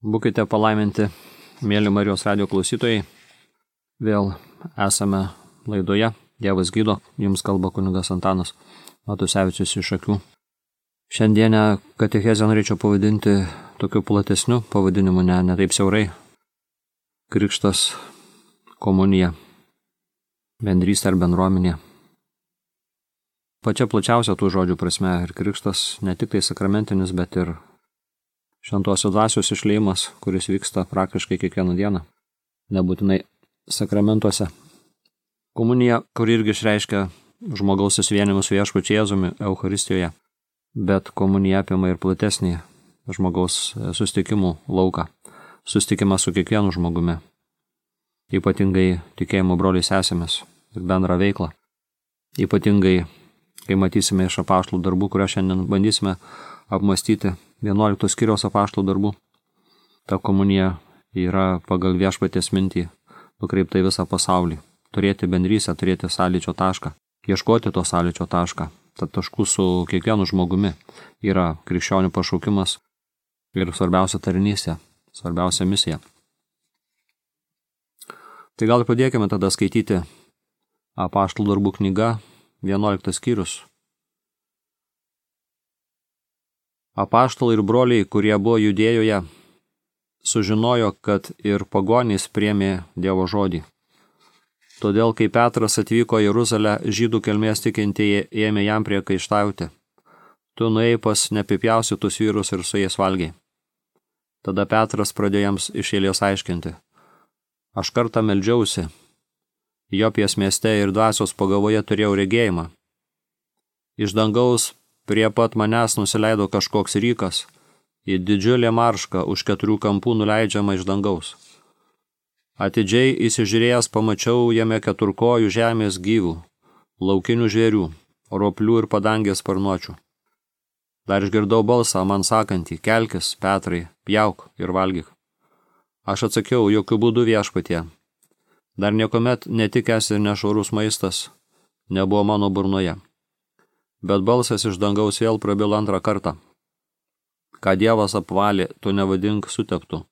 Būkite palaiminti, mėly Marijos radijo klausytojai. Vėl esame laidoje. Dievas gydo, jums kalba kunigas Antanas Matusevičius iš Akių. Šiandienę katechezę norėčiau pavadinti tokiu platesniu pavadinimu, ne taip siaurai. Krikštas, komunija, bendrystė ar bendruomenė. Pačia plačiausia tų žodžių prasme ir krikštas ne tik tai sakramentinis, bet ir šventosios dvasios išliejimas, kuris vyksta praktiškai kiekvieną dieną, nebūtinai sakramentuose. Komunija, kuri irgi išreiškia žmogaus susivienimus su Viešpačiu Jėzumi Eucharistijoje, bet komunija apima ir platesnį žmogaus susitikimų lauką, susitikimą su kiekvienu žmogumi, ypatingai tikėjimo broliais sesėmis ir bendrą veiklą, ypatingai, kai matysime iš apaštalų darbų, kurią šiandien bandysime apmastyti 11 skyriaus apaštalų darbų. Ta komunija yra pagal Viešpaties mintį nukreipta į visą pasaulį. Turėti bendrystę, turėti sąlyčio tašką, ieškoti to sąlyčio tašką. Tad taškų su kiekvienu žmogumi yra krikščionių pašaukimas ir svarbiausia tarnystė, svarbiausia misija. Tai gal padėkime tada skaityti apaštalų darbų knyga, 11 skyrius. Apaštalai ir broliai, kurie buvo Judėjoje, sužinojo, kad ir pagonys priėmė Dievo žodį. Todėl, kai Petras atvyko į Jeruzalę, žydų kilmės tikintieji ėmė jam priekaištauti. Tu nuėjai pas neapipjaustytus vyrus ir su jais valgiai. Tada Petras pradėjo jiems iš eilės aiškinti. Aš kartą meldžiausi. Jopijos mieste ir dvasios pagavoje turėjau regėjimą. Iš dangaus prie pat manęs nusileido kažkoks rykas, į didžiulę maršką už 4 kampų nuleidžiama iš dangaus. Atidžiai įsižiūrėjęs pamačiau jame 4 kojų žemės gyvų, laukinių žvėrių, roplių ir padangės sparnuočių. Dar išgirdau balsą man sakantį, kelkis, Petrai, pjauk ir valgyk. Aš atsakiau, jokių būdų Viešpatie. Dar niekuomet netikęs ir nešvarus maistas nebuvo mano burnoje. Bet balsas iš dangaus vėl prabilo 2 kartą. Ką Dievas apvalė, tu nevadink suteptu.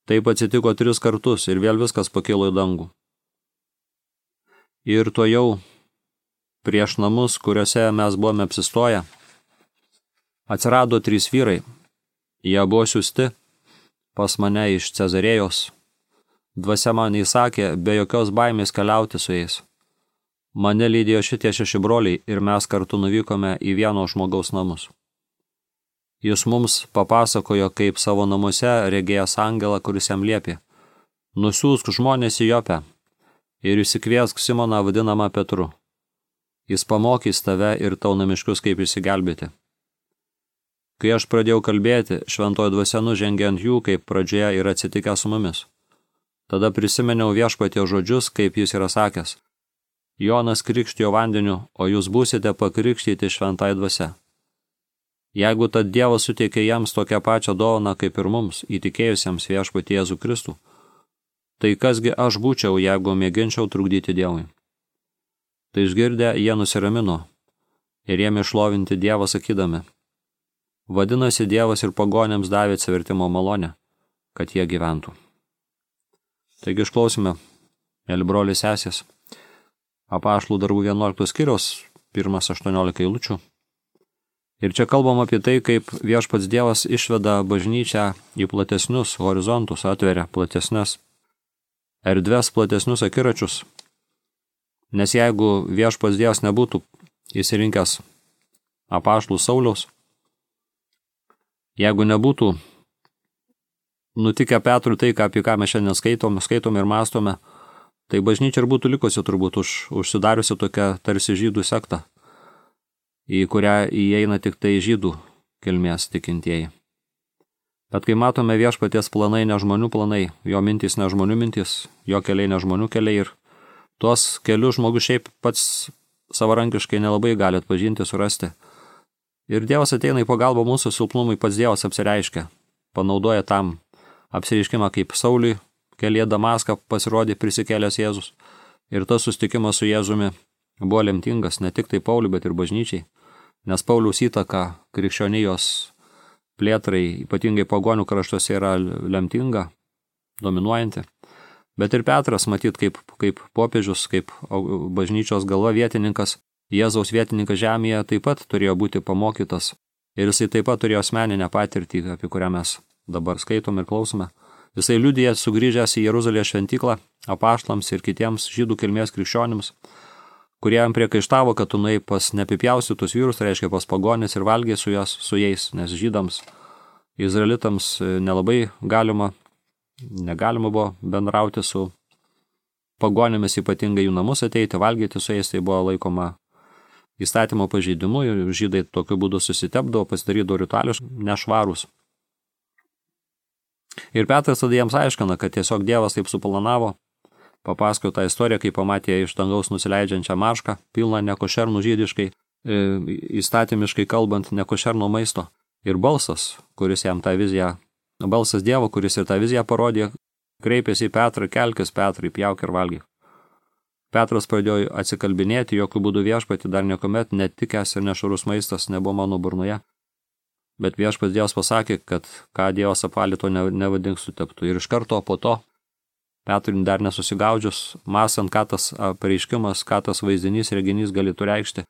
Taip atsitiko 3 kartus ir vėl viskas pakilo į dangų. Ir tuojau prieš namus, kuriuose mes buvome apsistoję, atsirado 3 vyrai. Jie buvo siųsti pas mane iš Cezarėjos. Dvasia man įsakė be jokios baimės keliauti su jais. Mane lydėjo šitie 6 broliai ir mes kartu nuvykome į vieno žmogaus namus. Jis mums papasakojo, kaip savo namuose regėjęs angelą, kuris jam liepė. Nusiųsk žmonės į Jopę ir išsikviesk Simoną vadinamą Petru. Jis pamokys tave ir tau namiškius, kaip išsigelbėti. Kai aš pradėjau kalbėti, šventoji dvasia nužengė ant jų, kaip pradžioje yra atsitikę su mumis. Tada prisiminiau Viešpaties žodžius, kaip jis yra sakęs. Jonas krikštijo vandeniu, o jūs būsite pakrikštyti šventai dvasia. Jeigu tad Dievas suteikė jiems tokią pačią dovaną kaip ir mums, įtikėjusiems Viešpatį Jėzų Kristų, tai kasgi aš būčiau, jeigu mėginčiau trukdyti Dievui? Tai išgirdę, jie nusiramino ir ėmė šlovinti Dievą sakydami. Vadinasi, Dievas ir pagonėms davė atsivertimo malonę, kad jie gyventų. Taigi išklausime, mėly broliai sesės, apaštalų darbų 11 skyriaus, 1-18 eilučių. Ir čia kalbam apie tai, kaip Viešpats Dievas išveda bažnyčią į platesnius horizontus, atveria platesnes erdves, platesnius akiračius. Nes jeigu Viešpats Dievas nebūtų įsirinkęs apaštalų Sauliaus, jeigu nebūtų nutikę Petrui tai, apie ką mes šiandien skaitome ir mąstome, tai bažnyčia ir būtų likusi turbūt užsidariusi tokia tarsi žydų sekta, į kurią įeina tik tai žydų kilmės tikintieji. Bet kai matome Viešpaties planai ne žmonių planai, jo mintys ne žmonių mintys, jo keliai ne žmonių keliai ir tuos kelius žmogus šiaip pats savarankiškai nelabai gali atpažinti, surasti. Ir Dievas ateina į pagalbą mūsų silpnumui, pats Dievas apsireiškia, panaudoja tam apsireiškimą kaip Sauliui, kelyje Damaską pasirodė prisikėlęs Jėzus. Ir tas susitikimas su Jėzumi buvo lemtingas ne tik tai Pauliui, bet ir bažnyčiai. Nes Pauliaus įtaka krikščionijos plėtrai, ypatingai pagonių kraštuose, yra lemtinga, dominuojanti. Bet ir Petras, matyt, kaip popiežius, kaip bažnyčios galva vietininkas, Jėzaus vietininkas žemėje, taip pat turėjo būti pamokytas. Ir jisai taip pat turėjo asmeninę patirtį, apie kurią mes dabar skaitom ir klausome. Jisai liudija sugrįžęs į Jeruzalės šventyklą apaštalams ir kitiems žydų kilmės krikščionims, kurie jam priekaištavo, kad tu nuėjai pas neapipjaustytus vyrus, tai reiškia pas pagonis ir valgiai su jais, nes žydams, izraelitams nelabai negalima buvo bendrauti su pagonimis, ypatingai jų namus ateiti, valgyti su jais, tai buvo laikoma įstatymo pažeidimu ir žydai tokiu būdu susitepdavo, pasidarydavo ritualius nešvarūs. Ir Petras tada jiems aiškina, kad tiesiog Dievas taip suplanavo, papasakojo tą istoriją, kai pamatė iš dangaus nusileidžiančią maršką, pilną nekošernų žydiškai, įstatymiškai kalbant, nekošerno maisto. Ir balsas, kuris jam tą viziją, balsas Dievo, kuris ir tą viziją parodė, kreipėsi į Petrą, kelkis Petrai, pjauk ir valgyk. Petras pradėjo atsikalbinėti, jokių būdų viešpatį dar niekuomet netikęs ir nešvarus maistas nebuvo mano burnoje. Bet viešpats Dievas pasakė, kad ką Dievas apvalė, to nevadink suteptų. Ir iš karto po to, Petrui dar nesusigaudžius, mąstant, ką tas pareiškimas, ką tas vaizdinys, reginys galėtų reikšti,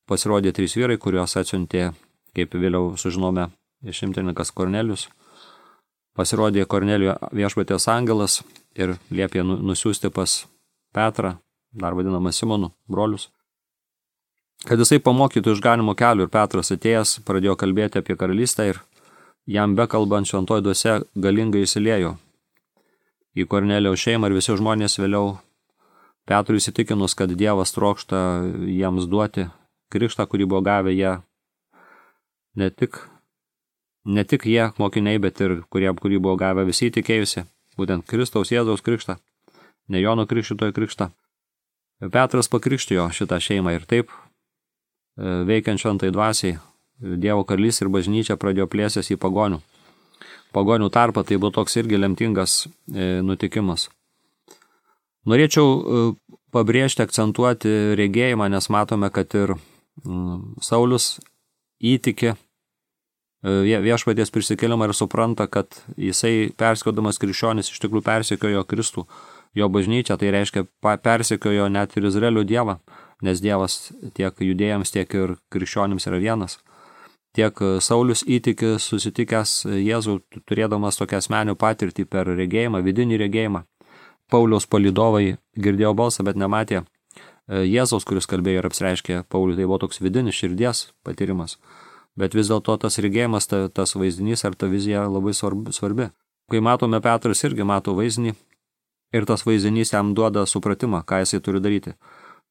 pasirodė 3 vyrai, kuriuos atsiuntė, kaip vėliau sužinome, išimtininkas Kornelijus. Pasirodė Kornelijo viešpaties angelas ir liepė nusiųsti pas Petrą, dar vadinamą Simonu, brolius, kad jisai pamokytų išganimo kelių. Ir Petras atėjęs pradėjo kalbėti apie karalystę ir jam bekalbant šventoji dvasia galingai įsiliejo į Kornelijaus šeimą ir visi žmonės vėliau Petrui įsitikinus, kad Dievas trokšta jiems duoti krikštą, kurį buvo gavę jie, ne tik jie mokiniai, bet ir kurį buvo gavę visi tikėjusi, būtent Kristaus Jėzaus krikštą, ne Jono Krikštytojo krikštą. Petras pakrikštijo šitą šeimą ir taip, veikiant šventai dvasiai, Dievo karalystė ir bažnyčia pradėjo plėstis į pagonių tarpą, tai buvo toks irgi lemtingas nutikimas. Norėčiau pabrėžti, akcentuoti regėjimą, nes matome, kad ir Saulius įtiki viešpaties prisikėlimą ir supranta, kad jisai persekiodamas krikščionis iš tikrųjų persekiojo Kristų, jo bažnyčią, tai reiškia persekiojo net ir Izraelio Dievą, nes Dievas tiek judėjams, tiek ir krikščionims yra vienas. Tiek Saulius įtiki susitikęs Jėzų, turėdamas tokią asmenių patirtį per regėjimą, vidinį regėjimą. Pauliaus palydovai girdėjo balsą, bet nematė Jėzaus, kuris kalbėjo ir apsireiškė Pauliui, tai buvo toks vidinis širdies patyrimas. Bet vis dėlto tas regėjimas, tas vaizdinys ar ta vizija labai svarbi. Kai matome, Petras irgi mato vaizdinį ir tas vaizdinys jam duoda supratimą, ką jisai turi daryti.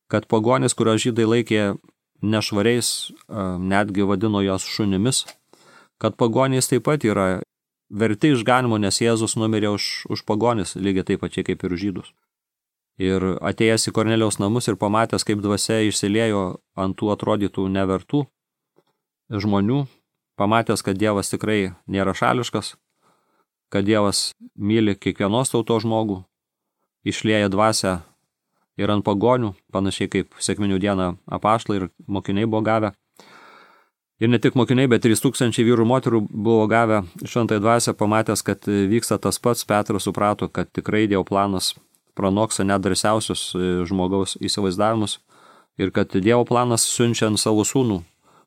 Kad pagonis, kurio žydai laikė nešvariais, netgi vadino jos šunimis, kad pagonys taip pat yra verti išganimo, nes Jėzus numirė už pagonis, lygiai taip pačiai kaip ir žydus. Ir atėjęs į Kornelijaus namus ir pamatęs, kaip dvasia išsiliejo ant tų atrodytų nevertų žmonių, pamatęs, kad Dievas tikrai nėra šališkas, kad Dievas myli kiekvienos tautos žmogų, išlieja dvasią ir ant pagonių, panašiai kaip sekminių dieną apaštalai ir mokiniai buvo gavę. Ir ne tik mokiniai, bet 3000 vyrų moterų buvo gavę šventąją dvasią, pamatęs, kad vyksta tas pats, Petras suprato, kad tikrai Dievo planas pranoksta net drąsiausius žmogaus įsivaizdavimus ir kad Dievo planas siunčiant savo sūnų,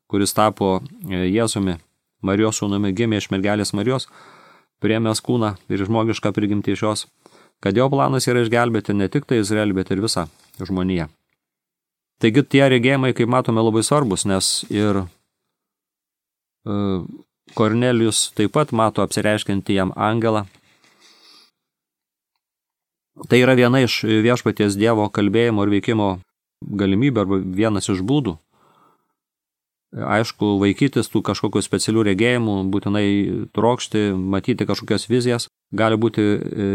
kuris tapo Jėzumi, Marijos sūnumi, gimė iš mergelės Marijos, priėmęs kūną ir žmogišką prigimtį iš jos, kad Dievo planas yra išgelbėti ne tik tai Izraelį, bet ir visą žmoniją. Taigi tie regėjimai, kaip matome, labai svarbus, nes ir Kornelijus taip pat mato apsireiškiantį jam angelą. Tai yra viena iš viešpaties Dievo kalbėjimo ir veikimo galimybė arba vienas iš būdų. Aišku, vaikytis tų kažkokių specialių regėjimų, būtinai trokšti, matyti kažkokias vizijas, gali būti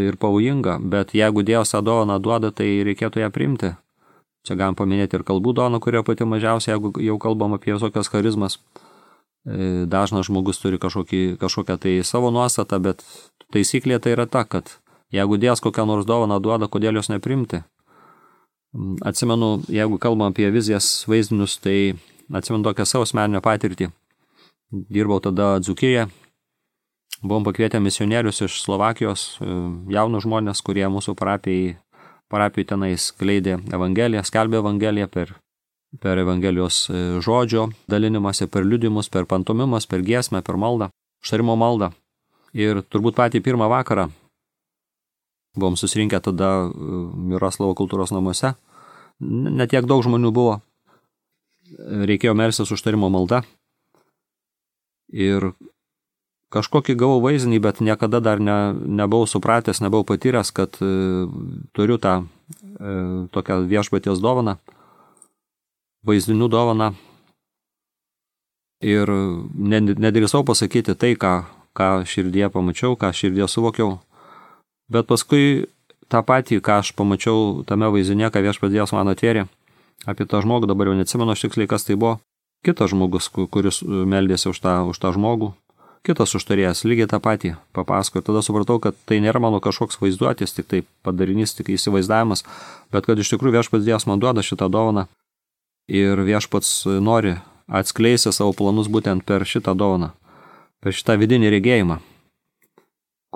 ir pavojinga, bet jeigu Dievas tą dovaną duoda, tai reikėtų ją priimti. Čia galim paminėti ir kalbų dovaną, kurio pati mažiausia, jeigu jau kalbam apie visokias charizmas. Dažnas žmogus turi kažkokią tai savo nuostatą, bet taisyklė tai yra ta, kad jeigu Dievas kokią nors dovaną duoda, kodėl jos neprimti. Atsimenu, jeigu kalbam apie vizijas, vaizdinius, tai atsimenu tokią savo asmeninę patirtį. Dirbau tada Dzūkijoje Buvom pakvietę misionierius iš Slovakijos, jaunus žmonės, kurie mūsų parapijai tenais skleidė evangeliją, skelbė evangeliją per evangelijos žodžio dalinimąsi, per liudimus, per pantomimas, per giesmę, per maldą, užtarimo maldą. Ir turbūt patį pirmą vakarą buvom susirinkę tada Miroslavo kultūros namuose. Netiek daug žmonių buvo. Reikėjo melstis užtarimo malda. Ir kažkokį gavau vaizdinį, bet niekada dar nebuvau supratęs, nebuvau patyręs, kad turiu tą tokią viešpaties dovaną, vaizdinių dovaną. Ir nedrįsau pasakyti tai, ką širdie pamačiau, ką širdie suvokiau. Bet paskui tą patį, ką aš pamačiau tame vaizdinė, ką viešpaties man atvėrė apie tą žmogų, dabar jau neatsimenu aš tiksliai, kas tai buvo. Kitas žmogus, kuris meldėsi už tą žmogų. Kitas užtarėjas lygiai tą patį papasakojo. Tada supratau, kad tai nėra mano kažkoks vaizduotis, tik tai padarinys, tik įsivaizdavimas, bet kad iš tikrųjų viešpats Dievas man duoda šitą dovaną ir viešpats nori atskleisti savo planus būtent per šitą dovaną, per šitą vidinį regėjimą,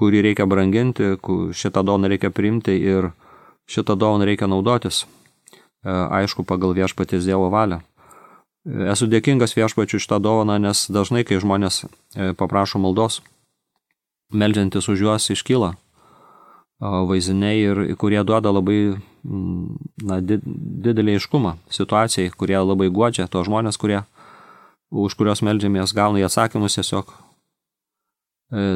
kurį reikia branginti, šitą dovaną reikia priimti ir šitą dovaną reikia naudotis, aišku, pagal viešpaties Dievo valią. Esu dėkingas viešpačiui šitą dovaną, nes dažnai, kai žmonės paprašo maldos, meldžiantis už juos iškyla vaizdiniai, ir kurie duoda labai didelį aiškumą situacijai, kurie labai guodžia tos žmonės, už kurios meldžiamės, gauna į atsakymus tiesiog.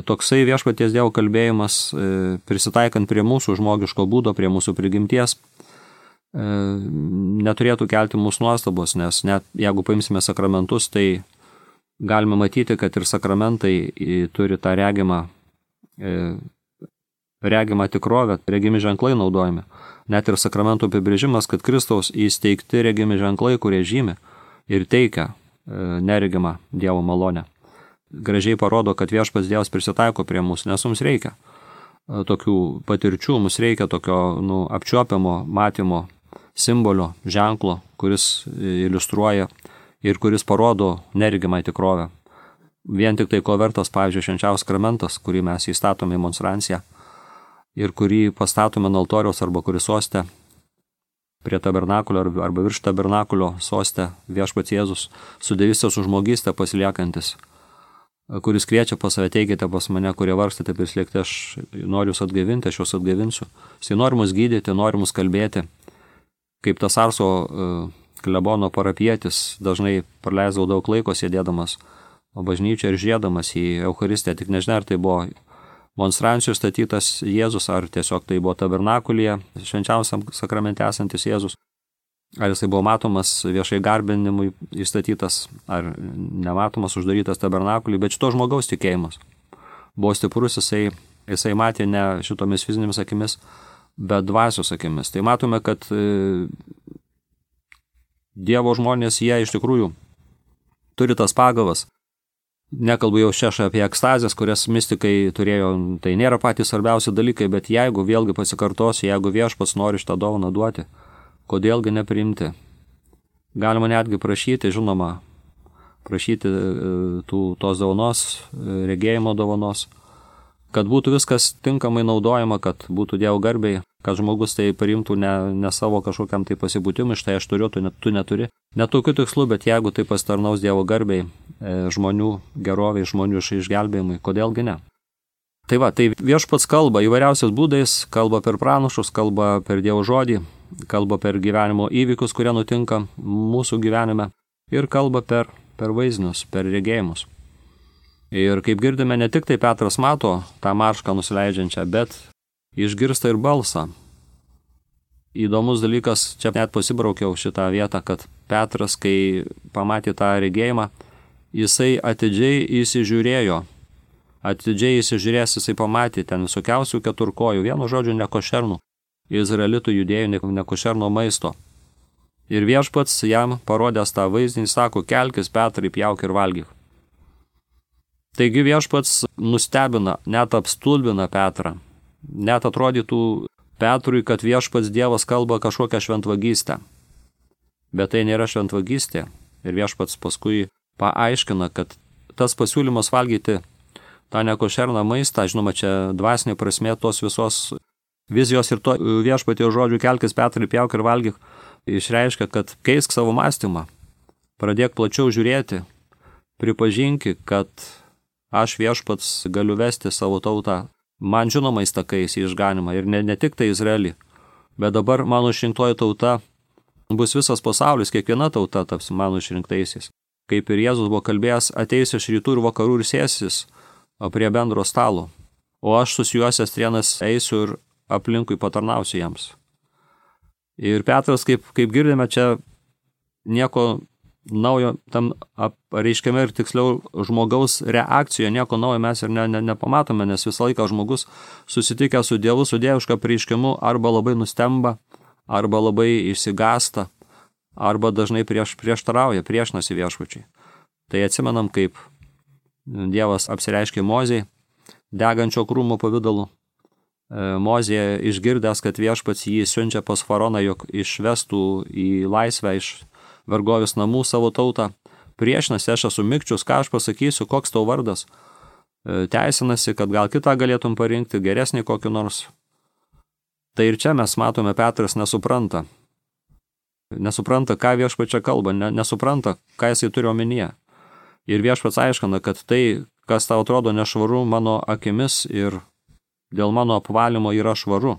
Toksai viešpaties Dievo kalbėjimas, prisitaikant prie mūsų žmogiško būdo, prie mūsų prigimties, neturėtų kelti mūsų nuostabos, nes net jeigu paimsime sakramentus, tai galime matyti, kad ir sakramentai turi tą regimą tikrovę, regimi ženklai naudojami. Net ir sakramentų apibrėžimas, kad Kristaus įsteigti regimi ženklai, kurie žymi ir teikia neregimą Dievo malonę. Gražiai parodo, kad viešpats Dievas prisitaiko prie mūsų, nes mums reikia tokių patirčių, mums reikia tokio apčiuopiamo matymo simbolio, ženklo, kuris iliustruoja ir kuris parodo neregimą tikrovę. Vien tik tai ko vertas, pavyzdžiui, švenčiausias sakramentas, kurį mes įstatome į monstranciją ir kurį pastatome ant altoriaus arba kuris soste prie tabernakulio arba virš tabernakulio soste viešpats Jėzus su dievystės užmogystę pasiliekantis, kuris kviečia pas save, teikite pas mane, kurie vargstate prislėgti, aš noriu jūs atgaivinti, aš jūs atgaivinsiu. Jis nori mus gydyti, nori mus kalbėti. Kaip tas Arso klebono parapietis dažnai praleisdavo daug laiko sėdėdamas bažnyčioje ir žiūrėdamas į Eucharistiją, tik nežinia, ar tai buvo monstrancijų statytas Jėzus, ar tiesiog tai buvo tabernakulyje, švenčiausiam sakramente esantis Jėzus, ar jisai buvo matomas viešai garbinimui įstatytas, ar nematomas uždarytas tabernakuliui, bet šito žmogaus tikėjimas buvo stiprus, jisai matė ne šitomis fizinėmis akimis, bet dvasios akimis. Tai matome, kad Dievo žmonės, jie iš tikrųjų turi tas pagavas. Nekalbu jau čia apie ekstazės, kurias mistikai turėjo, tai nėra patys svarbiausi dalykai, bet jeigu vėlgi pasikartosiu, jeigu viešpats nori šitą dovaną duoti, kodėlgi nepriimti? Galima netgi prašyti, žinoma, tos dovanos, regėjimo dovanos, kad būtų viskas tinkamai naudojama, kad būtų Dievo garbei, kad žmogus tai parimtų ne savo kažkokiam tai pasibūtimui, štai aš turiu, tu neturi. Net tokių tikslų, bet jeigu tai pasitarnaus Dievo garbei, žmonių geroviai, žmonių išgelbėjimui, kodėlgi ne? Tai va, tai viešpats kalba įvairiausiais būdais, kalba per pranašus, kalba per Dievo žodį, kalba per gyvenimo įvykius, kurie nutinka mūsų gyvenime, ir kalba per vaizdinius, per regėjimus. Ir kaip girdime, ne tik tai Petras mato tą maršką nusileidžiančią, bet išgirsta ir balsą. Įdomus dalykas, čia net pasibraukiau šitą vietą, kad Petras, kai pamatė tą regėjimą, jisai atidžiai įsižiūrėjo. Atidžiai įsižiūrės, jisai pamatė ten visokiausių keturkojų, vienu žodžiu nekošernų, izraelitų judėjų nekošerno maisto. Ir viešpats jam parodęs tą vaizdinį, sako, kelkis Petrai, pjauk ir valgyk. Taigi viešpats nustebina, net apstulbina Petrą. Net atrodytų Petrui, kad viešpats Dievas kalba kažkokią šventvagystę. Bet tai nėra šventvagystė. Ir viešpats paskui paaiškina, kad tas pasiūlymas valgyti tą nekošerną maistą, žinoma, čia dvasinė prasmė tos visos vizijos ir to viešpaties žodžių kelkis Petrai, pjauk ir valgyk, išreiškia, kad keisk savo mąstymą, pradėk plačiau žiūrėti, pripažinki, kad aš viešpats galiu vesti savo tautą man žinomais takais į išganimą ir ne tik tai Izraelį, bet dabar mano išrinktoji tauta bus visas pasaulis, kiekviena tauta taps mano išrinktaisiais. Kaip ir Jėzus buvo kalbėjęs, ateis iš rytų ir vakarų ir sėsis prie bendro stalo, o aš susijuosęs trienas eisiu ir aplinkui patarnausiu jiems. Ir Petras, kaip girdime, čia nieko naujo tam reiškiame ir tiksliau žmogaus reakcijoje, nieko naujo mes ir nepamatome, nes visą laiką žmogus susitikę su Dievu, su dieviška prieškimu arba labai nustemba, arba labai išsigąsta, arba dažnai prieštarauja, priešinasi viešpačiui. Tai atsimenam, kaip Dievas apsireiškė Mozei degančio krūmo pavidalu. Mozė išgirdęs, kad viešpats jį siunčia pas faraoną, jog išvestų į laisvę iš vergovės namų savo tautą, priešinasi, aš esu mikčius, ką aš pasakysiu, koks tau vardas, teisinasi, kad gal kitą galėtum parinkti, geresnį kokį nors. Tai ir čia mes matome, Petras nesupranta, ką viešpačia kalba, nesupranta, ką jisai turi omenyje. Ir viešpats aiškina, kad tai, kas tau atrodo nešvaru mano akimis ir dėl mano apvalymo yra švaru.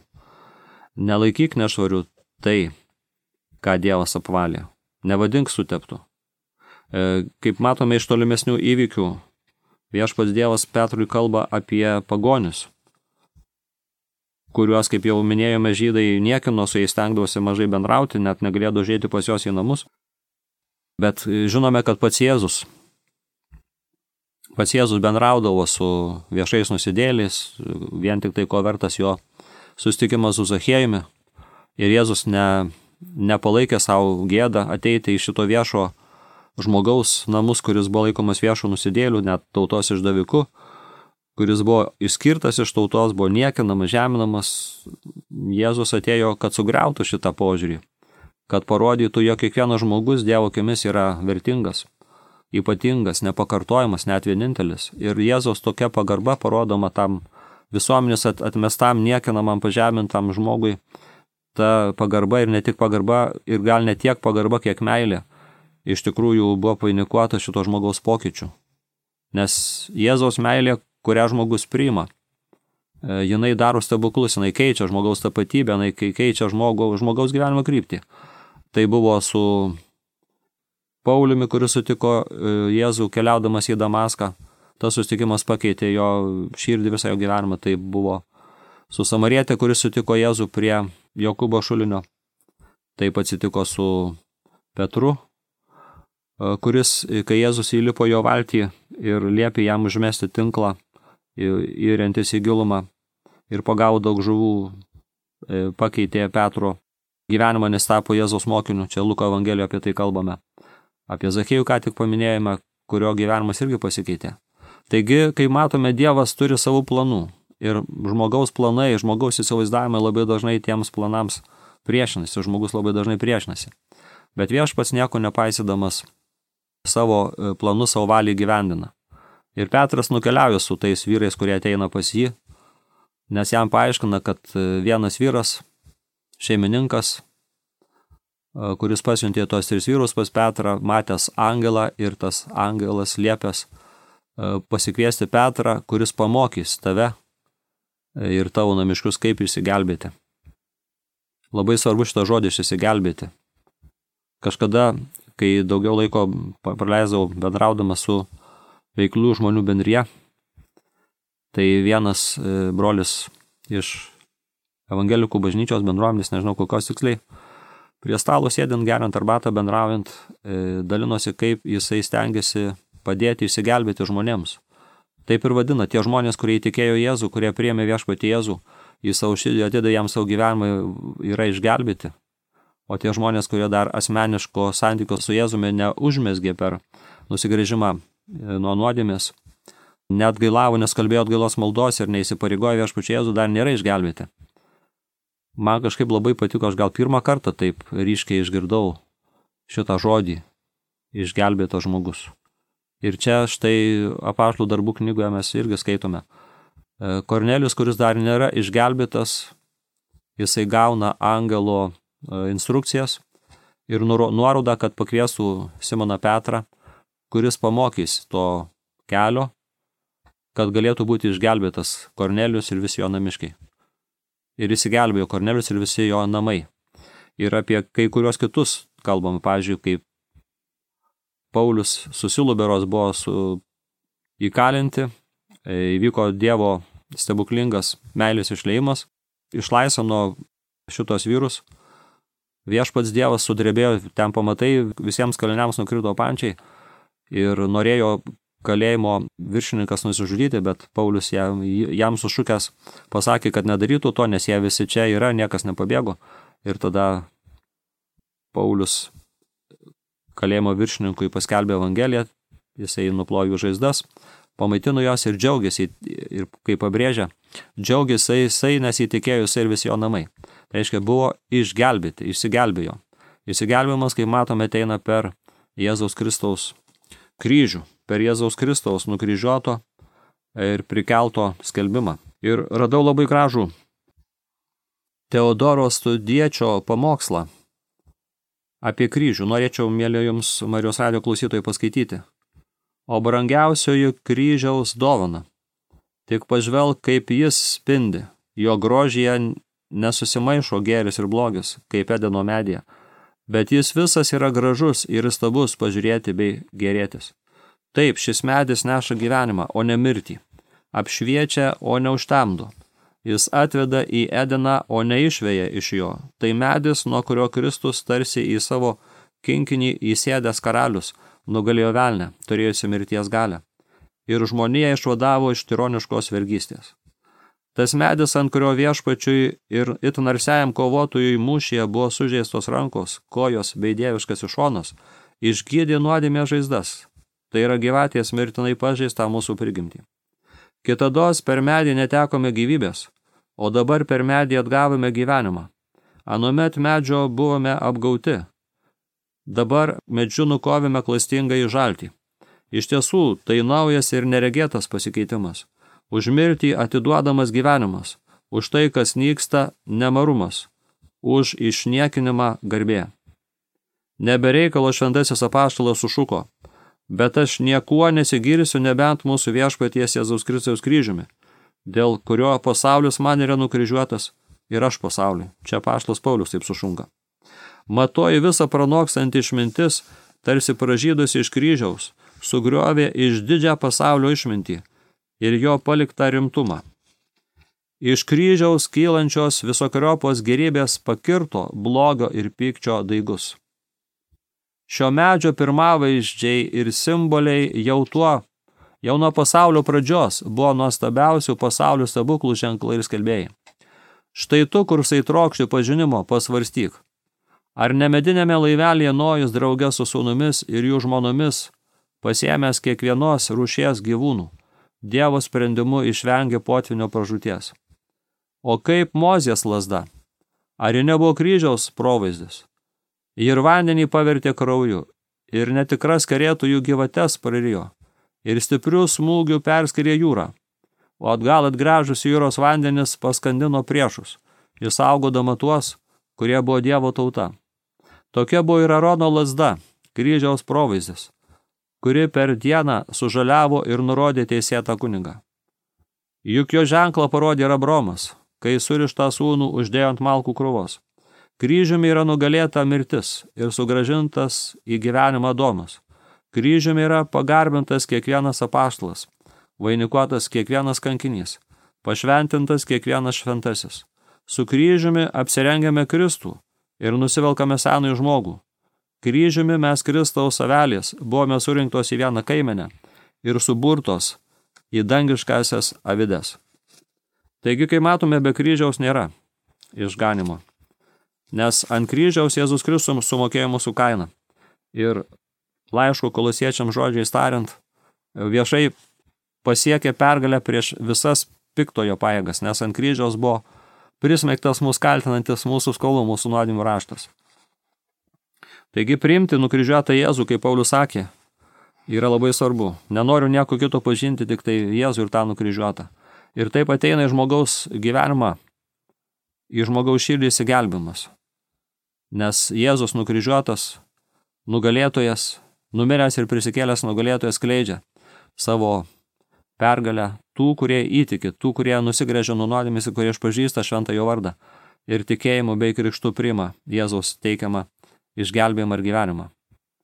Nelaikyk nešvariu tai, ką Dievas apvalė. Nevadink suteptų. Kaip matome iš tolimesnių įvykių, viešpats Dievas Petrui kalba apie pagonius, kuriuos, kaip jau minėjome, žydai niekino, su jais stengdavosi mažai bendrauti, net negalėjo užeiti pas juos į namus. Bet žinome, kad pats Jėzus bendraudavo su viešais nusidėliais, vien tik tai ko vertas jo susitikimas su Zachiejumi. Ir Jėzus nepalaikė savo gėdą ateiti į šito viešo žmogaus namus, kuris buvo laikomas viešo nusidėlių, net tautos išdaviku, kuris buvo išskirtas iš tautos, buvo niekinamas, žeminamas. Jėzus atėjo, kad sugriautų šitą požiūrį, kad parodytų, jog kiekvienas žmogus Dievo akimis yra vertingas, ypatingas, nepakartojamas, net vienintelis. Ir Jėzaus tokia pagarba parodoma tam visuomenės atmestam, niekinamam, pažemintam žmogui. Ta pagarba ir ne tik pagarba, ir gal ne tiek pagarba, kiek meilė, iš tikrųjų buvo vainikuota šito žmogaus pokyčių. Nes Jėzaus meilė, kurią žmogus priima, jinai daro stebuklus, jinai keičia žmogaus tapatybę, jinai keičia žmogaus gyvenimo kryptį. Tai buvo su Pauliumi, kuris sutiko Jėzų keliaudamas į Damaską. Tas susitikimas pakeitė jo širdį, visą jo gyvenimą. Tai buvo su samarietė, kuris sutiko Jėzų prie Jokūbo šulinio. Taip atsitiko su Petru, kuris, kai Jėzus įlipo jo valtį ir liepė jam užmesti tinklą, įrentis į gilumą ir pagavo daug žuvų, pakeitė Petro gyvenimą, nes tapo Jėzaus mokiniu. Čia Luko Evangelijoje apie tai kalbame. Apie Zachiejų ką tik paminėjome, kurio gyvenimas irgi pasikeitė. Taigi, kai matome, Dievas turi savų planų ir žmogaus planai, žmogaus įsivaizdavimai labai dažnai tiems planams priešinasi, žmogus labai dažnai priešinasi. Bet viešpats nieko nepaisydamas savo planus, savo valį gyvendina. Ir Petras nukeliauja su tais vyrais, kurie ateina pas jį, nes jam paaiškina, kad vienas vyras, šeimininkas, kuris pasiuntė tos 3 vyrus pas Petrą, matęs angelą ir tas angelas liepęs pasikviesti Petrą, kuris pamokys tave ir tavo namiškius, kaip išsigelbėti. Labai svarbu šitą žodį išsigelbėti. Kažkada, kai daugiau laiko praleisdavau bendraudamas su veiklių žmonių bendrija, tai vienas brolis iš evangelikų bažnyčios bendruomenės, nežinau kokios tiksliai, prie stalo sėdint, geriant arbatą, bendraujant, dalinosi, kaip jisai stengiasi padėti išsigelbėti žmonėms. Taip ir vadina, tie žmonės, kurie įtikėjo Jėzų, kurie priėmė viešpatį Jėzų, į savo širdį atidavė jam savo gyvenimą, yra išgelbėti. O tie žmonės, kurie dar asmeniško santykio su Jėzumi neužmezgė per nusigręžimą nuo nuodėmės, net gailavo, nes kalbėjo atgailos maldos ir neįsipareigojo viešpačiui Jėzų, dar nėra išgelbėti. Man kažkaip labai patiko, aš gal pirmą kartą taip ryškiai išgirdau šitą žodį, išgelbėtas žmogus. Ir čia štai Apaštalų darbų knygoje mes irgi skaitome. Kornelijus, kuris dar nėra išgelbėtas, jisai gauna angelo instrukcijas ir nuorodą, kad pakviestų Simoną Petrą, kuris pamokys to kelio, kad galėtų būti išgelbėtas Kornelijus ir visi jo namiškiai. Ir įsigelbėjo Kornelijus ir visi jo namai. Ir apie kai kurios kitus kalbam, pavyzdžiui, kaip Paulius su Silu berods buvo įkalinti, įvyko Dievo stebuklingas meilės išleimas, išlaisvino šitos vyrus. Viešpats Dievas sudrebėjo, ten pamatai, visiems kaliniams nukrito pančiai ir norėjo kalėjimo viršininkas nusižudyti, bet Paulius jam sušukęs pasakė, kad nedarytų to, nes jie visi čia yra, niekas nepabėgo. Ir tada Paulius kalėjimo viršininkui paskelbė Evangeliją, jisai nuplojo žaizdas, pamaitino jos ir džiaugiasi, ir kaip pabrėžia, džiaugiasi jisai, nes įtikėjo jisai ir visi jo namai. Tai reiškia, buvo išgelbėti, išsigelbėjo. Išsigelbėjimas, kaip matome, ateina per Jėzaus Kristaus kryžių, per Jėzaus Kristaus nukryžiuoto ir prikelto skelbimą. Ir radau labai gražų Teodoro Studiečio pamokslą apie kryžių. Norėčiau, mėly jums, Marijos radijo klausytojai, paskaityti. O brangiausioji kryžiaus dovana. Tik pažvelk, kaip jis spindi. Jo grožyje nesusimaišo gėris ir blogis, kaip Edeno medyje. Bet jis visas yra gražus ir įstabus pažiūrėti bei gėrėtis. Taip, šis medis neša gyvenimą, o ne mirtį. Apšviečia, o ne užtemdo. Jis atveda į Edeną, o neišveja iš jo. Tai medis, nuo kurio Kristus tarsi į savo kinkinį įsėdęs karalius nugalėjo velnę, turėjusi mirties galią. Ir žmonija išvadavo iš tironiškos vergystės. Tas medis, ant kurio viešpačiui ir itin narsiajam kovotojui mūšyje buvo sužeistos rankos, kojos bei dieviškas šonas, išgydė nuodėmės žaizdas. Tai yra gyvatės mirtinai pažeistą mūsų prigimtį. Kitados per medį netekome gyvybės, o dabar per medį atgavome gyvenimą. Anuomet medžio buvome apgauti. Dabar medžiu nukovėme klastingą į žaltį. Iš tiesų, tai naujas ir neregėtas pasikeitimas. Už mirtį atiduodamas gyvenimas, už tai, kas nyksta, nemarumas, už išniekinimą garbė. Nebereikalo šventasis apaštalas sušuko, bet aš niekuo nesigirsiu nebent mūsų viešpaties Jėzaus Kristaus kryžiumi, dėl kurio pasaulis man yra nukryžiuotas ir aš pasauliui. Čia apaštalas Paulius taip sušunka. Matoji visą pranokstanti išmintis, tarsi pražydusi iš kryžiaus, sugriovė iš didžią pasaulio išmintį ir jo paliktą rimtumą. Iš kryžiaus kylančios visokiojopos gėrybės pakirto blogio ir pykčio daigus. Šio medžio pirmavaizdžiai ir simboliai jau nuo pasaulio pradžios buvo nuostabiausių pasaulio stebuklų ženklai ir skelbėjai. Štai tu, kursai trokšti pažinimo, pasvarstyk. Ar ne medinėme laivelėje Nojus drauge su sūnumis ir jų žmonomis, pasiėmęs kiekvienos rūšies gyvūnų, Dievo sprendimu išvengė potvinio pražūties. O kaip Mozės lazda? Ar ji nebuvo kryžiaus provaizdis? Ir vandenį pavertė krauju, ir netikras karėtojų gyvates prarijo, ir stiprių smūgių perskirė jūrą, o atgal atgręžus jūros vandenis paskandino priešus, išsaugodama tuos, kurie buvo Dievo tauta. Tokia buvo ir Arono lazda, kryžiaus provaizdis, kuri per dieną sužaliavo ir nurodė teisėtą kunigą. Juk jo ženklą parodė ir Abraomas, kai surištą sūnų uždėjo ant malkų krūvos. Kryžiumi yra nugalėta mirtis ir sugrąžintas į gyvenimą Adomas. Kryžiumi yra pagarbintas kiekvienas apaštalas, vainikuotas kiekvienas kankinys, pašventintas kiekvienas šventasis. Su kryžiumi apsirengiame Kristų ir nusivelkame senąjį žmogų. Kryžiumi mes Kristaus avelės buvome surinktos į vieną kaimenę ir suburtos į dangiškasias avides. Taigi, kai matome, be kryžiaus nėra išganimo, nes ant kryžiaus Jėzus Kristus sumokėjo mūsų kainą. Ir laiško Kolosiečiams žodžiais tariant, viešai pasiekė pergalę prieš visas piktojo pajėgas, nes ant kryžiaus buvo prismeigtas mūsų kaltinantis mūsų skolų, mūsų nuodėmių raštas. Taigi priimti nukryžiuotą Jėzų, kaip Paulius sakė, yra labai svarbu. Nenoriu nieko kito pažinti, tik tai Jėzų ir tą nukryžiuotą. Ir taip ateina į žmogaus gyvenimą, į žmogaus širdį įsigelbimas. Nes Jėzus nukryžiuotas, nugalėtojas, numiręs ir prisikėlęs nugalėtojas skleidžia savo pergalę tų, kurie įtiki, tų, kurie nusigręžia nuo nuodėmės ir kurie išpažįsta šventą jo vardą ir tikėjimu bei krikštu priima Jėzaus teikiamą išgelbėjimą ir gyvenimą.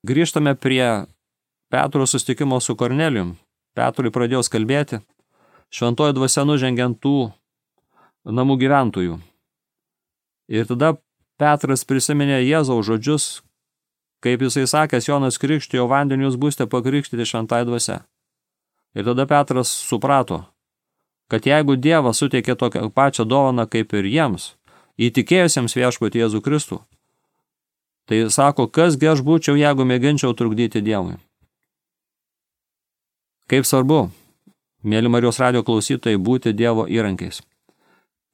Grįžtame prie Petro susitikimo su Kornelijum. Petrui pradėjo kalbėti, šventoji dvasia nužengiant tų namų gyventojų. Ir tada Petras prisiminė Jėzaus žodžius, kaip jisai sakęs, Jonas krikštijo vandeniu, jūs būsite pakrikštyti šventai dvasia. Ir tada Petras suprato, kad jeigu Dievas suteikė tokią pačią dovaną kaip ir jiems, įtikėjusiems viešpatį Jėzų Kristų, tai sako, kasgi aš būčiau, jeigu mėginčiau trukdyti Dievui. Kaip svarbu, mėly Marijos radijo klausytojai, būti Dievo įrankiais.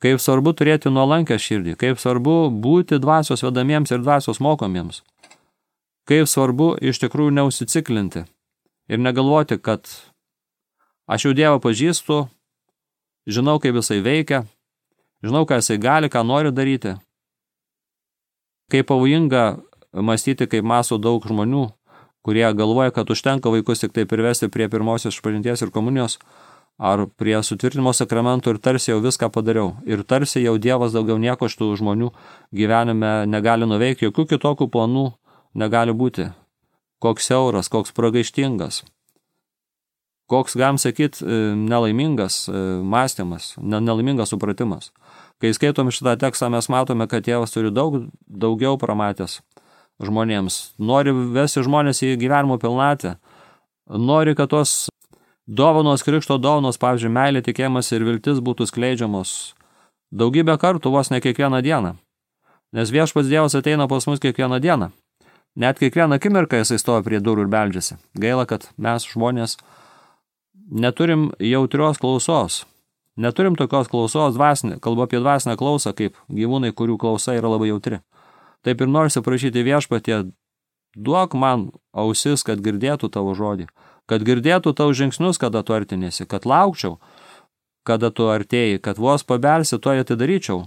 Kaip svarbu turėti nuolankę širdį, kaip svarbu būti dvasios vedamiems ir dvasios mokomiems. Kaip svarbu iš tikrųjų neusiciklinti ir negalvoti, kad aš jau Dievą pažįstu, žinau, kaip jisai veikia, žinau, ką jisai gali, ką nori daryti. Kaip pavojinga mąstyti, kaip mąsto daug žmonių, kurie galvoja, kad užtenka vaikus tik tai privesti prie pirmosios išpažinties ir komunijos, ar prie sutvirtinimo sakramentų ir tarsi jau viską padariau. Ir tarsi jau Dievas daugiau nieko iš tų žmonių gyvenime negali nuveikti, jokių kitokių planų negali būti. Koks siauras, koks pragaištingas, koks, galim sakyti, nelaimingas mąstymas, nelaimingas supratimas. Kai skaitom šitą tekstą, mes matome, kad Dievas turi daugiau pramatęs žmonėms. Nori vesti žmonės į gyvenimo pilnatę. Nori, kad tos dovanos, krikšto dovanos, pavyzdžiui, meilė, tikėjimas ir viltis būtų skleidžiamos daugybę kartų, vos ne kiekvieną dieną. Nes viešpats Dievas ateina pas mus kiekvieną dieną. Net kiekvieną akimirką jisai stovi prie durų ir beldžiasi. Gaila, kad mes žmonės neturim jautrios klausos. Neturim tokios klausos dvasinė, kalbu apie dvasinę klausą, kaip gyvūnai, kurių klausa yra labai jautri. Taip ir norisi prašyti viešpatie, duok man ausis, kad girdėtų tavo žodį, kad girdėtų tavo žingsnius, kada tu artinėsi, kad laukčiau, kada tu artėjai, kad vos pabelsi, to atidaryčiau.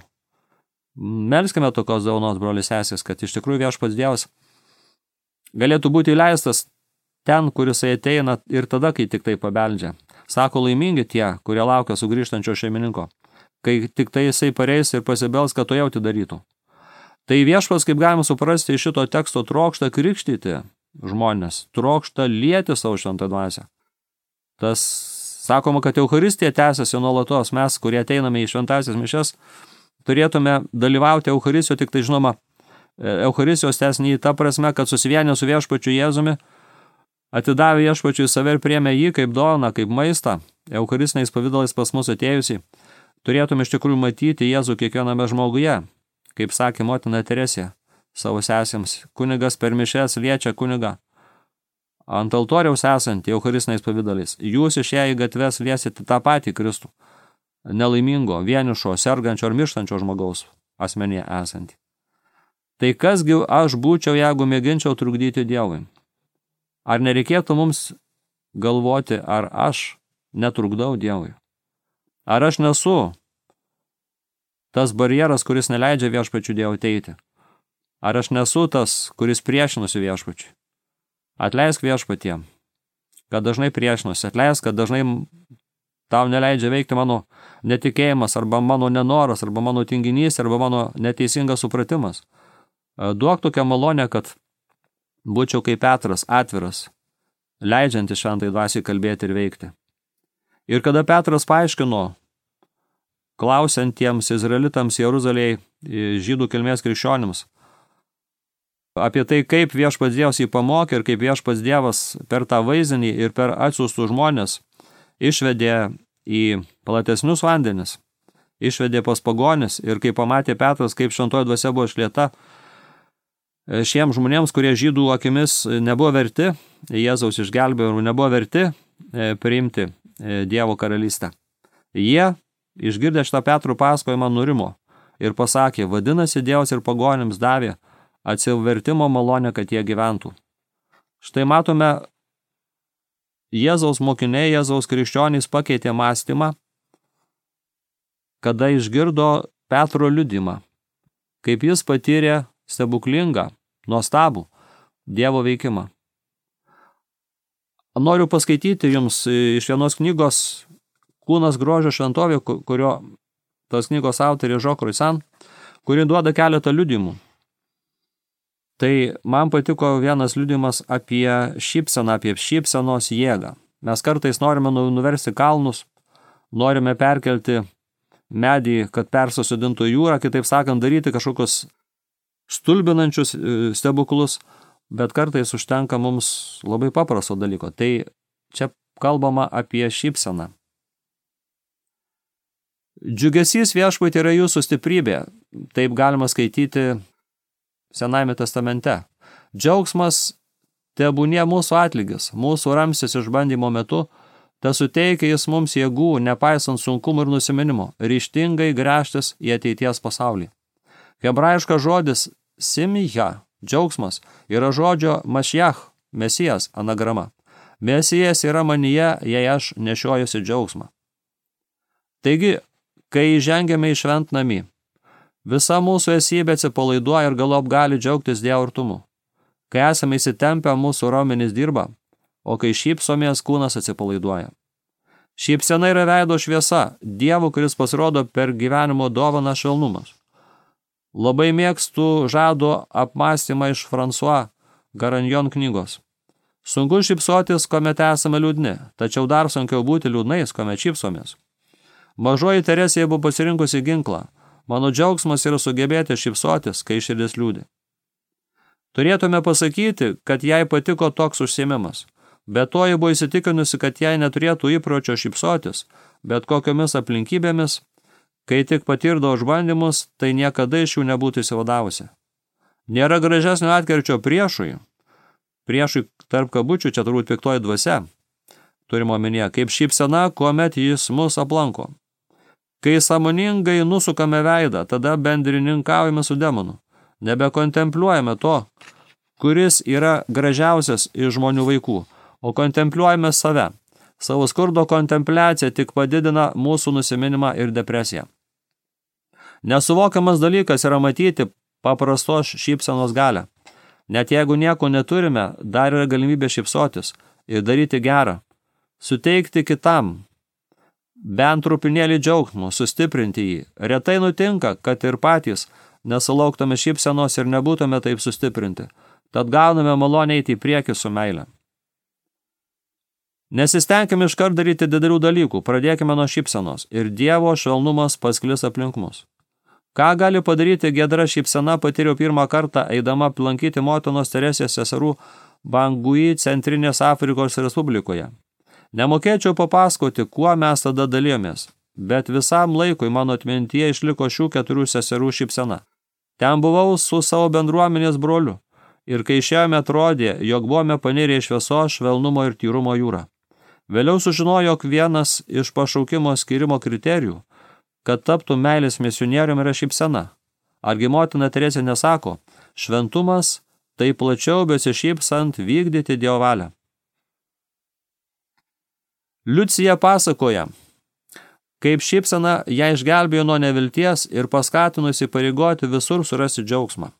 Melskime tokios dovanos, brolis sesės, kad iš tikrųjų viešpats Dievas galėtų būti įleistas ten, kur jisai ateina ir tada, kai tik tai pabeldžia. Sako, laimingi tie, kurie laukia sugrįžtančio šeimininko, kai tik tai jisai pareis ir pasibels, kad to jau atidarytų. Tai viešpats, kaip galima suprasti, iš šito teksto trokšta krikštyti žmonės, trokšta lieti savo šventą dvasią. Tas sakoma, kad Eucharistija tęsiasi nuolatos. Mes, kurie ateiname į šventąsias mišias, turėtume dalyvauti Eucharistijoje, tik tai žinoma, Eucharistijos tęsinį ta prasme, kad susivienė su viešpačiu Jėzumi, atidavė viešpačiui save ir priėmė jį kaip dovaną, kaip maistą, eucharistiniais pavydalais pas mus atėjusiai. Turėtume iš tikrųjų matyti Jėzų kiekviename žmoguje, kaip sakė motina Teresė savo sesėms. Kunigas per mišes liečia kunigą ant altoriaus esantį eucharistiniais pavydalais. Jūs išėję į gatves liesite tą patį Kristų, nelaimingo, vienišo, sergančio ar mirštančio žmogaus asmenyje esantį. Tai kasgi aš būčiau, jeigu mėginčiau trukdyti Dievui? Ar nereikėtų mums galvoti, ar aš netrukdau Dievui? Ar aš nesu tas barjeras, kuris neleidžia viešpačiui Dievui ateiti? Ar aš nesu tas, kuris priešinusi viešpačiui? Atleisk viešpatie, kad dažnai priešinusi. Atleisk, kad dažnai tau neleidžia veikti mano netikėjimas, arba mano nenoras, arba mano tinginys, arba mano neteisingas supratimas. Duok tokią malonę, kad būčiau kaip Petras, atviras, leidžiantis šventai dvasiai kalbėti ir veikti. Ir kada Petras paaiškino klausiantiems izraelitams Jeruzalėje, žydų kilmės krikščionims, apie tai, kaip viešpats Dievas jį pamokė ir kaip viešpats Dievas per tą vaizdinį ir per atsiųstus žmonės išvedė į platesnius vandenis, išvedė pas pagonis ir kai pamatė Petras, kaip šventoji dvasia buvo išlieta, šiems žmonėms, kurie žydų akimis nebuvo verti, Jėzaus išgelbėjimo nebuvo verti priimti Dievo karalystę. Jie, išgirdę šitą Petrų pasakojimą, nurimo ir pasakė, vadinasi, Dievas ir pagonims davė atsivertimo malonę, kad jie gyventų. Štai matome Jėzaus mokiniai, Jėzaus krikščionys pakeitė mąstymą, kada išgirdo Petro liudimą, kaip jis patyrė stebuklingą, nuostabų Dievo veikimą. Noriu paskaityti jums iš vienos knygos Kūnas grožio šventovė, kurio tos knygos autorė Jean Croissant, kuri duoda keletą liudimų. Tai man patiko vienas liudimas apie šypseną, apie šypsenos jėgą. Mes kartais norime nuversti kalnus, norime perkelti medį, kad persisodintų jūrą, kitaip sakant, daryti kažkokius stulbinančius stebuklus, bet kartais užtenka mums labai paprasto dalyko. Tai čia kalbama apie šypseną. Džiugesys viešpatie yra jūsų stiprybė, taip galima skaityti Senajame testamente. Džiaugsmas tebūnie mūsų atlygis, mūsų ramstis išbandymo metu, te suteikia jis mums jėgų, nepaisant sunkumų ir nusiminimo, ryžtingai gręžtis į ateities pasaulį. Hebrajiškas žodis simija, džiaugsmas, yra žodžio mašiach, mesijas anagrama. Mesijas yra manyje, jei aš nešiojusi džiaugsmą. Taigi, kai žengiame į šventnamį, visa mūsų esybė atsipalaiduoja ir galop gali džiaugtis Dievo artumu. Kai esame įsitempę, mūsų raumenys dirba, o kai šypsomės, kūnas atsipalaiduoja. Šypsena yra veido šviesa, Dievo, kuris pasirodo per gyvenimo dovaną švelnumas. Labai mėgstu žado apmąstymą iš François Garanjon knygos. Sunku šypsotis, kuomet esame liūdni, tačiau dar sunkiau būti liūdnais, kuomet šypsomės. Mažoji Teresė buvo pasirinkusi ginklą. Mano džiaugsmas yra sugebėti šypsotis, kai širdis liūdi. Turėtume pasakyti, kad jai patiko toks užsiėmimas. Be to, ji buvo įsitikinusi, kad jai neturėtų įpročio šypsotis, bet kokiomis aplinkybėmis, kai tik patirdavo išbandymus, tai niekada iš jų nebūtų įsivadavusi. Nėra gražesnio atkirčio priešui tarp kabučių, čia turbūt piktoji dvasia, turime omenyje, kaip šypsena, kuomet jis mus aplanko. Kai sąmoningai nusukame veidą, tada bendrininkaujame su demonu. Nebekontempliuojame to, kuris yra gražiausias iš žmonių vaikų, o kontempliuojame save. Savo skurdo kontempliacija tik padidina mūsų nusiminimą ir depresiją. Nesuvokiamas dalykas yra matyti paprastos šypsenos galią. Net jeigu nieko neturime, dar yra galimybė šypsotis ir daryti gerą, suteikti kitam, bent trupinėlį džiaugsmo, sustiprinti jį. Retai nutinka, kad ir patys nesulauktume šypsenos ir nebūtume taip sustiprinti. Tad gauname malonę eiti į priekį su meile. Nesistengime iškart daryti didelių dalykų, pradėkime nuo šypsenos ir Dievo švelnumas pasklis aplink mus. Ką gali padaryti giedra šypsena, patyriau pirmą kartą, eidama aplankyti motinos Teresės seserų Bangui Centrinės Afrikos Respublikoje. Nemokėčiau papasakoti, kuo mes tada dalijomės, bet visam laikui mano atmintyje išliko šių 4 seserų šypsena. Ten buvau su savo bendruomenės broliu ir kai išėjome atrodė, jog buvome panirę į šviesos, švelnumo ir tyrumo jūrą. Vėliau sužinojo, jog vienas iš pašaukimo skyrimo kriterijų, kad taptų meilės misionieriumi, yra šypsena. Argi motina Teresė nesako, šventumas tai plačiau besišypsant vykdyti Dievo valią. Liucija pasakoja, kaip šypsena ją išgelbėjo nuo nevilties ir paskatinusi pareigoti visur surasti džiaugsmą.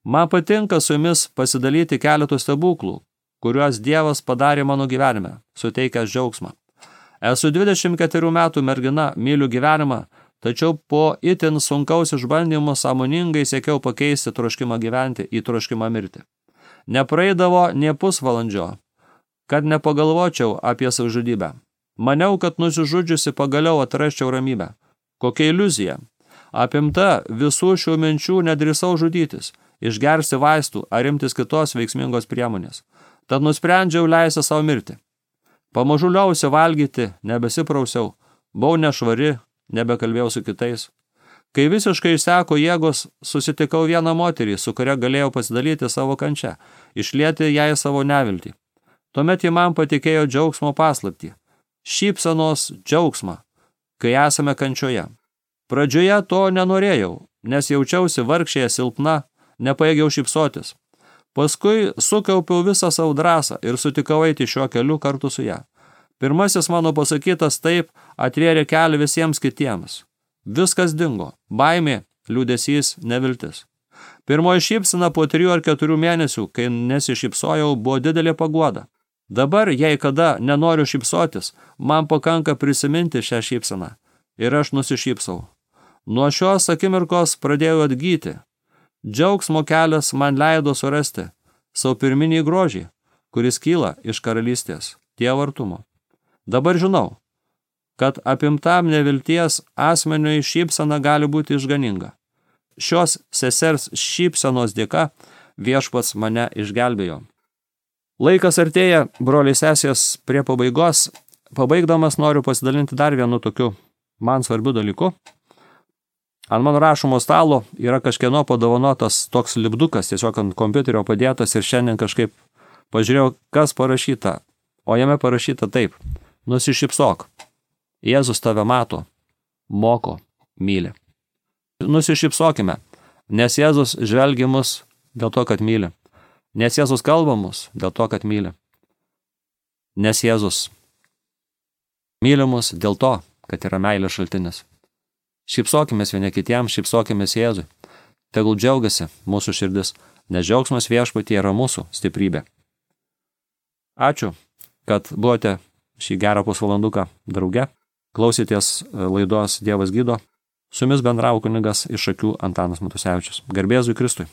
Man patinka su jumis pasidalyti keletų stebuklų, kuriuos Dievas padarė mano gyvenime, suteikęs džiaugsmą. Esu 24 metų mergina, myliu gyvenimą, tačiau po itin sunkaus išbandymo sąmoningai siekiau pakeisti troškimą gyventi į troškimą mirti. Nepraeidavo nė pusvalandžio, kad nepagalvočiau apie savižudybę. Maniau, kad nusižudžiusi pagaliau atrasčiau ramybę. Kokia iliuzija. Apimta visų šių minčių nedrįsau žudytis, išgersti vaistų ar imtis kitos veiksmingos priemonės. Tad nusprendžiau leisti savo mirti. Pamažu liausi valgyti, nebesiprausiau, buvau nešvari, nebekalbėjau su kitais. Kai visiškai išseko jėgos, susitikau vieną moterį, su kuria galėjau pasidalyti savo kančią, išlieti jai savo neviltį. Tuomet ji man patikėjo džiaugsmo paslaptį. Šypsenos džiaugsmą, kai esame kančioje. Pradžioje to nenorėjau, nes jaučiausi vargšėje silpna, nepajėgiau šypsotis. Paskui sukaupiau visą savo drąsą ir sutikau eiti šiuo keliu kartu su ją. Pirmasis mano pasakytas taip atvėrė kelią visiems kitiems. Viskas dingo. Baimė, liūdesys, neviltis. Pirmoji šypsena po 3 ar 4 mėnesių, kai nesišypsojau, buvo didelė paguoda. Dabar, jei kada nenoriu šypsotis, man pakanka prisiminti šią šypseną. Ir aš nusišypsau. Nuo šios akimirkos pradėjau atgyti. Džiaugsmo kelias man leido surasti savo pirminį grožį, kuris kyla iš karalystės, Dievo artumo. Dabar žinau, kad apimtam nevilties asmeniui šypsena gali būti išganinga. Šios sesers šypsenos dėka viešpats mane išgelbėjo. Laikas artėja, broliai sesės, prie pabaigos. Pabaigdamas noriu pasidalinti dar vienu tokiu man svarbiu dalyku. Ant mano rašomo stalo yra kažkieno padovanotas toks lipdukas, tiesiog ant kompiuterio padėtas ir šiandien kažkaip pažiūrėjau, kas parašyta. O jame parašyta taip: nusišypsok. Jėzus tave mato, moko, myli. Nusišypsokime, nes Jėzus žvelgia mus dėl to, kad myli. Nes Jėzus kalba mus dėl to, kad myli. Nes Jėzus myli mus dėl to, kad yra meilės šaltinis. Šypsokimės vieni kitiems, šypsokimės Jėzui. Tegul džiaugiasi mūsų širdis, nes džiaugsmas viešpatyje yra mūsų stiprybė. Ačiū, kad buvote šį gerą pusvalanduką drauge. Klausyties laidos Dievas gydo. Su jumis bendravo kunigas iš Šakių Antanas Matusevičius. Garbėzui Kristui.